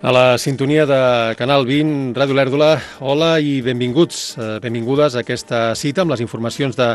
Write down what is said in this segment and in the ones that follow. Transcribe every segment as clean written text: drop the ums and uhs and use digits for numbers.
A la sintonia de Canal 20, Ràdio Lèrdula, hola i benvinguts, benvingudes a aquesta cita amb les informacions de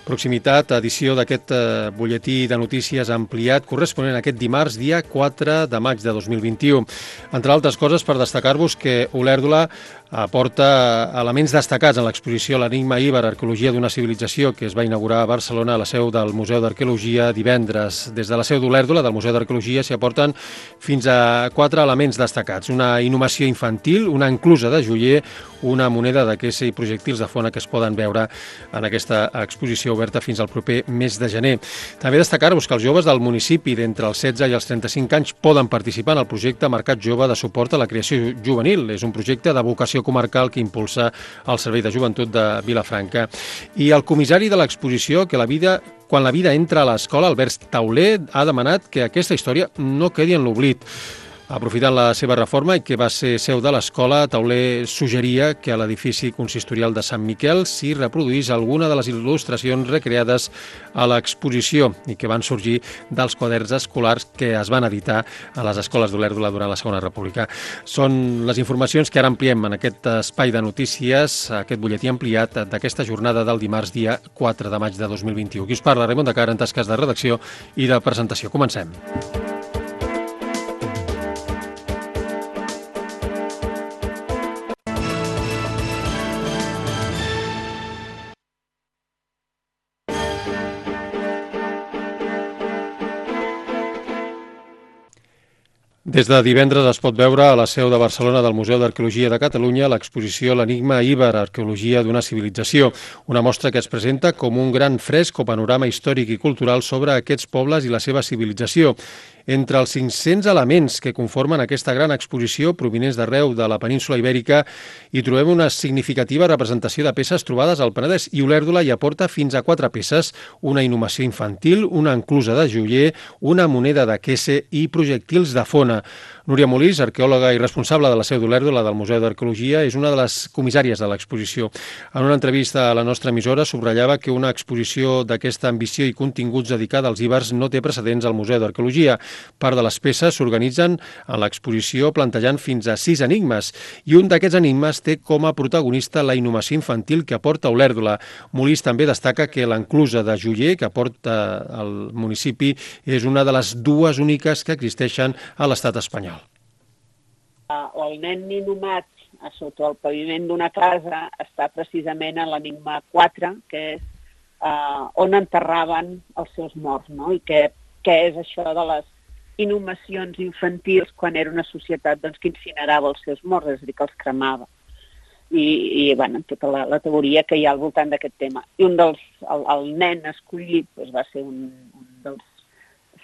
proximitat, edició d'aquest butlletí de notícies ampliat corresponent a aquest dimarts, dia 4 de maig de 2021. Entre altres coses, per destacar-vos que Olèrdula aporta elements destacats en l'exposició L'Enigma Iber, Arqueologia d'una civilització, que es va inaugurar a Barcelona a la seu del Museu d'Arqueologia divendres. Des de la seu d'Olèrdula, del Museu d'Arqueologia, s'hi aporten fins a 4 elements destacats. Una inhumació infantil, una enclusa de joier, una moneda de quessa i projectils de fona que es poden veure en aquesta exposició oberta fins al proper mes de gener. També destacar-vos que els joves del municipi d'entre els 16 i els 35 anys poden participar en el projecte Mercat Jove de suport a la creació juvenil. És un projecte de vocació comarcal que impulsa el Servei de Joventut de Vilafranca. I el comissari de l'exposició, que quan la vida entra a l'escola, Albert Tauler, ha demanat que aquesta història no quedi en l'oblit. Aprofitant la seva reforma i que va ser seu de l'escola, Tauler suggeria que a l'edifici consistorial de Sant Miquel s'hi reproduís alguna de les il·lustracions recreades a l'exposició i que van sorgir dels quaderns escolars que es van editar a les escoles d'Olèrdula durant la Segona República. Són les informacions que ara ampliem en aquest espai de notícies, aquest butlletí ampliat d'aquesta jornada del dimarts, dia 4 de maig de 2021. Qui us parla, Raimon de Car, en tasques de redacció i de presentació. Comencem. Des de divendres es pot veure a la seu de Barcelona del Museu d'Arqueologia de Catalunya l'exposició L'Enigma Iber, Arqueologia d'una civilització, una mostra que es presenta com un gran fresc o panorama històric i cultural sobre aquests pobles i la seva civilització. Entre els 500 elements que conformen aquesta gran exposició provinents d'arreu de la península ibèrica hi trobem una significativa representació de peces trobades al Penedès i Olèrdula hi aporta fins a 4 peces, una inhumació infantil, una enclusa de joier, una moneda de quessa i projectils de fona. Núria Molís, arqueòloga i responsable de la seu d'Olèrdula del Museu d'Arqueologia, és una de les comissàries de l'exposició. En una entrevista a la nostra emissora subratllava que una exposició d'aquesta ambició i continguts dedicada als ibers no té precedents al Museu d'Arqueologia. Part de les peces s'organitzen en l'exposició plantejant fins a 6 enigmes i un d'aquests enigmes té com a protagonista la inhumació infantil que aporta Olèrdula. Molís també destaca que l'enclusa de joier que aporta el municipi és una de les 2 úniques que existeixen a l'estat espanyol. El nen inhumat sota el paviment d'una casa està precisament a l'enigma 4, que és on enterraven els seus morts, no? I què és això de les inhumacions infantils quan era una societat que incinerava els seus morts, és a dir, que els cremava. I tota la teoria que hi ha al voltant d'aquest tema. I el nen escollit va ser un dels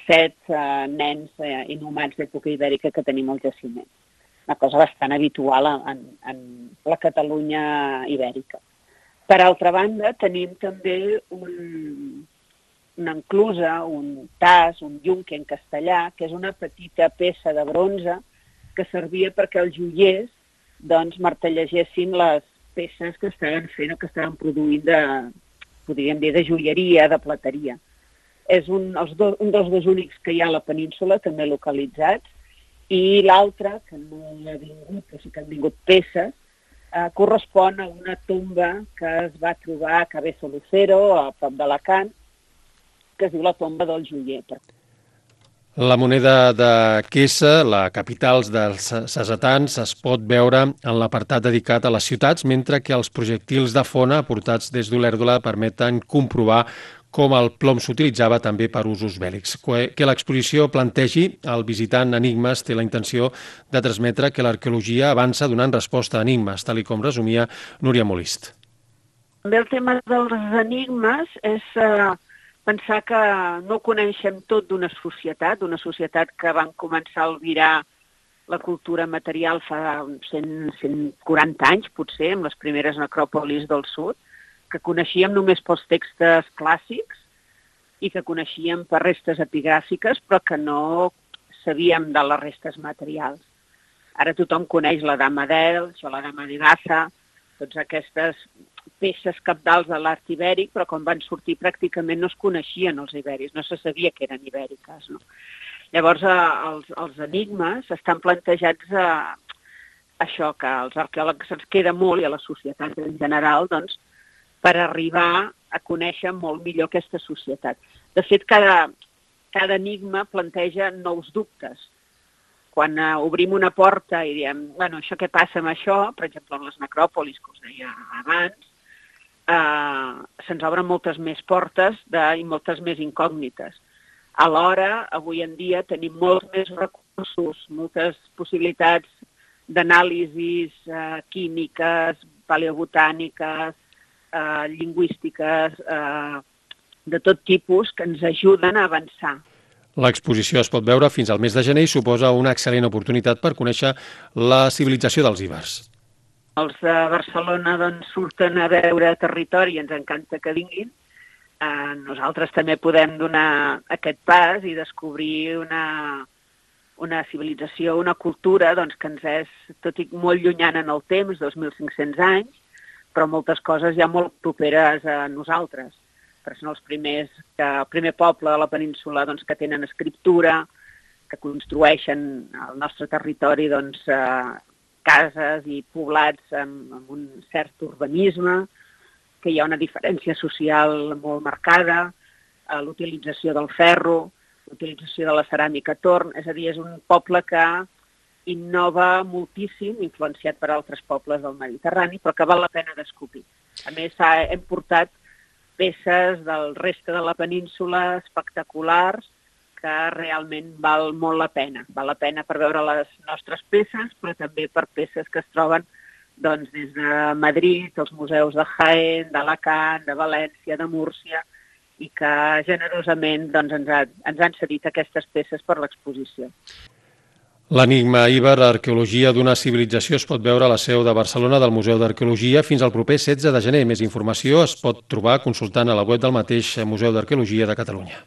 7 nens inhumats d'època ibèrica que tenim al jaciment. Una cosa bastant habitual en la Catalunya ibèrica. Per altra banda, tenim també una enclusa, un tas, un yunque en castellà, que és una petita peça de bronze que servia perquè els joiers martellegessin les peces que estaven fent o que estaven produint de joieria, de plateria. És un dels 2 únics que hi ha a la península, també localitzats, i l'altre, que no ha vingut, però sí que han vingut peces, correspon a una tomba que es va trobar a Cabezo Lucero, a prop d'Alacant, que es diu la tomba del joier. La moneda de quessa, la capital dels cesetans, es pot veure en l'apartat dedicat a les ciutats, mentre que els projectils de fona aportats des d'Olèrdula permeten comprovar com el plom s'utilitzava també per usos bèl·lics. Que l'exposició plantegi al visitant enigmes té la intenció de transmetre que l'arqueologia avança donant resposta a enigmes, tal com resumia Núria Molist. També el tema dels enigmes és pensar que no coneixem tot d'una societat que van començar a albirar la cultura material fa 140 anys, potser, amb les primeres necròpolis del sud, que coneixíem només pels textos clàssics i que coneixíem per restes epigràfiques, però que no sabíem de les restes materials. Ara tothom coneix la Dama d'Elx o la Dama de Baza, totes aquestes peces cabdals de l'art ibèric, però quan van sortir pràcticament no es coneixien els ibèrics, no se sabia que eren ibèriques, no? Llavors, els enigmes estan plantejats això, que als arqueòlegs se'ns queda molt, i a la societat en general, doncs, per arribar a conèixer molt millor aquesta societat. De fet, cada enigma planteja nous dubtes. Quan obrim una porta i diem, bueno, això què passa amb això, per exemple, en les necròpolis, que us deia abans, se'ns obren moltes més portes i moltes més incògnites. Alhora, avui en dia, tenim molts més recursos, moltes possibilitats d'anàlisis químiques, paleobotàniques, lingüístiques, de tot tipus, que ens ajuden a avançar. L'exposició es pot veure fins al mes de gener i suposa una excel·lent oportunitat per conèixer la civilització dels ibers. Els de Barcelona doncs, surten a veure territori i ens encanta que vinguin. Nosaltres també podem donar aquest pas i descobrir una civilització, una cultura doncs, que ens és, tot i molt llunyana en el temps, 2.500 anys, però moltes coses ja molt properes a nosaltres. Però són els primers, el primer poble de la península doncs, que tenen escriptura, que construeixen al nostre territori doncs, cases i poblats amb un cert urbanisme, que hi ha una diferència social molt marcada, l'utilització del ferro, l'utilització de la ceràmica torn, és a dir, és un poble que innova moltíssim, influenciat per altres pobles del Mediterrani, però que val la pena descobrir. A més, hem portat peces del reste de la península espectaculars que realment val molt la pena. Val la pena per veure les nostres peces, però també per peces que es troben doncs, des de Madrid, els museus de Jaén, d'Alacant, de València, de Múrcia, i que generosament doncs, ens han cedit aquestes peces per l'exposició. L'enigma íber, arqueologia d'una civilització, es pot veure a la seu de Barcelona del Museu d'Arqueologia fins al proper 16 de gener. Més informació es pot trobar consultant a la web del mateix Museu d'Arqueologia de Catalunya.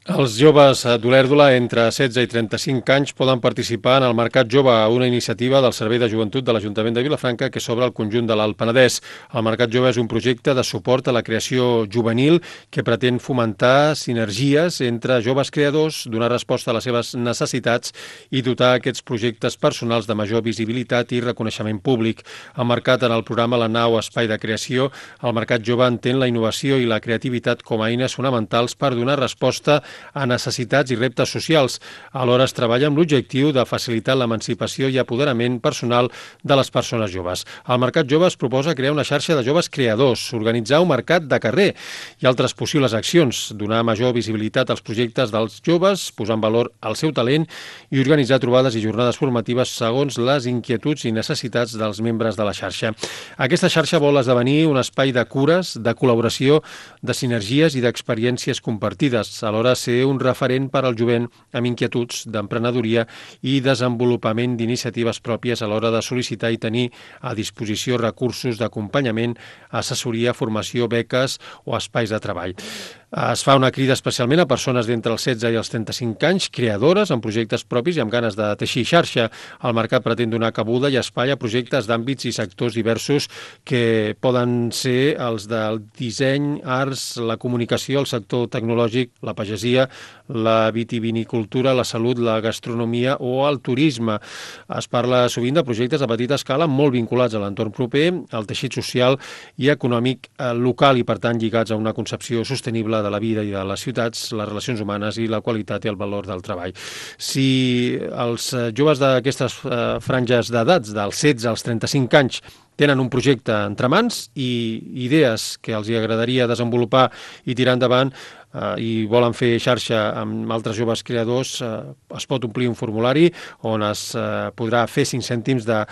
Els joves d'Olèrdola entre 16 i 35 anys poden participar en el Mercat Jove, una iniciativa del Servei de Joventut de l'Ajuntament de Vilafranca que s'obre al conjunt de l'Alt Penedès. El Mercat Jove és un projecte de suport a la creació juvenil que pretén fomentar sinergies entre joves creadors, donar resposta a les seves necessitats i dotar aquests projectes personals de major visibilitat i reconeixement públic. Emmarcat en el programa La Nau Espai de Creació, el Mercat Jove entén la innovació i la creativitat com a eines fonamentals per donar resposta a necessitats i reptes socials. Alhora es treballa amb l'objectiu de facilitar l'emancipació i apoderament personal de les persones joves. Al Mercat Jove es proposa crear una xarxa de joves creadors, organitzar un mercat de carrer i altres possibles accions, donar major visibilitat als projectes dels joves, posar en valor el seu talent i organitzar trobades i jornades formatives segons les inquietuds i necessitats dels membres de la xarxa. Aquesta xarxa vol esdevenir un espai de cures, de col·laboració, de sinergies i d'experiències compartides. Alhora ser un referent per al jovent amb inquietuds d'emprenedoria i desenvolupament d'iniciatives pròpies a l'hora de sol·licitar i tenir a disposició recursos d'acompanyament, assessoria, formació, beques o espais de treball. Es fa una crida especialment a persones d'entre els 16 i els 35 anys, creadores, amb projectes propis i amb ganes de teixir xarxa. El mercat pretén donar cabuda i espai a projectes d'àmbits i sectors diversos que poden ser els del disseny, arts, la comunicació, el sector tecnològic, la pagesia, la vitivinicultura, la salut, la gastronomia o el turisme. Es parla sovint de projectes a petita escala molt vinculats a l'entorn proper, al teixit social i econòmic local i, per tant, lligats a una concepció sostenible de la vida i de les ciutats, les relacions humanes i la qualitat i el valor del treball. Si els joves d'aquestes franges d'edats, dels 16 als 35 anys, tenen un projecte entre mans i idees que els agradaria desenvolupar i tirar endavant i volen fer xarxa amb altres joves creadors, es pot omplir un formulari on es podrà fer 5 cèntims de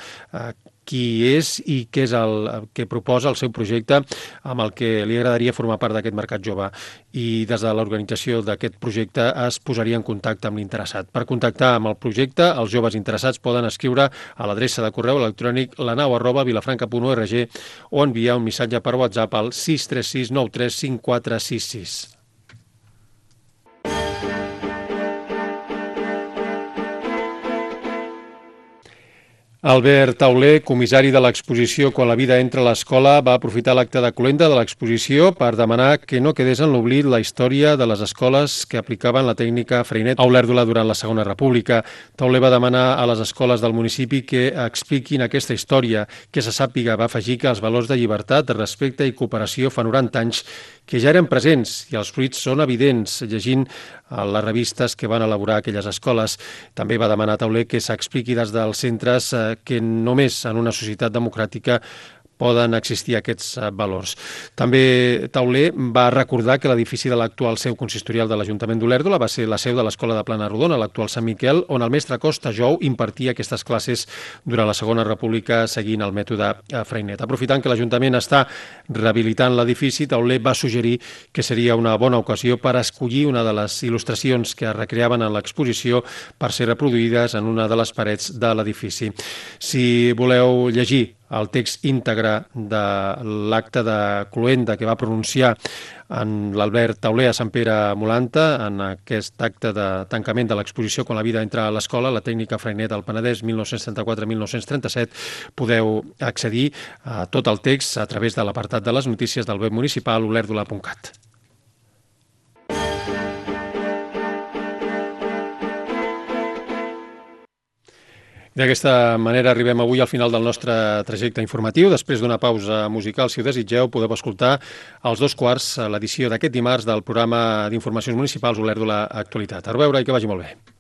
qui és i què és el que proposa el seu projecte amb el que li agradaria formar part d'aquest mercat jove. I des de l'organització d'aquest projecte es posaria en contacte amb l'interessat. Per contactar amb el projecte, els joves interessats poden escriure a l'adreça de correu electrònic lanau@vilafranca.org o enviar un missatge per WhatsApp al 636 93 5466. Albert Tauler, comissari de l'exposició Quan la vida entra a l'escola, va aprofitar l'acte de cloenda de l'exposició per demanar que no quedés en l'oblit la història de les escoles que aplicaven la tècnica Freinet a Olèrdola durant la Segona República. Tauler va demanar a les escoles del municipi que expliquin aquesta història, que se sàpiga. Va afegir que els valors de llibertat, de respecte i cooperació fa 90 anys que ja eren presents i els fruits són evidents, llegint les revistes que van elaborar aquelles escoles. També va demanar a Tauler que s'expliqui des dels centres que només en una societat democràtica poden existir aquests valors. També Tauler va recordar que l'edifici de l'actual seu consistorial de l'Ajuntament d'Olèrdola va ser la seu de l'Escola de Plana Rodona, l'actual Sant Miquel, on el mestre Costa Jou impartia aquestes classes durant la Segona República seguint el mètode Freinet. Aprofitant que l'Ajuntament està rehabilitant l'edifici, Tauler va suggerir que seria una bona ocasió per escollir una de les il·lustracions que es recreaven en l'exposició per ser reproduïdes en una de les parets de l'edifici. Si voleu llegir el text íntegre de l'acte de cloenda que va pronunciar en l'Albert Tauler a Sant Pere Molanta en aquest acte de tancament de l'exposició Quan la vida entra a l'escola, la tècnica Freinet al Penedès 1934-1937, podeu accedir a tot el text a través de l'apartat de les notícies del web municipal olèrdola.cat. D'aquesta manera arribem avui al final del nostre trajecte informatiu. Després d'una pausa musical, si ho desitgeu, podeu escoltar als 2:15 l'edició d'aquest dimarts del programa d'informacions municipals Olèrdola Actualitat. A reveure i que vagi molt bé.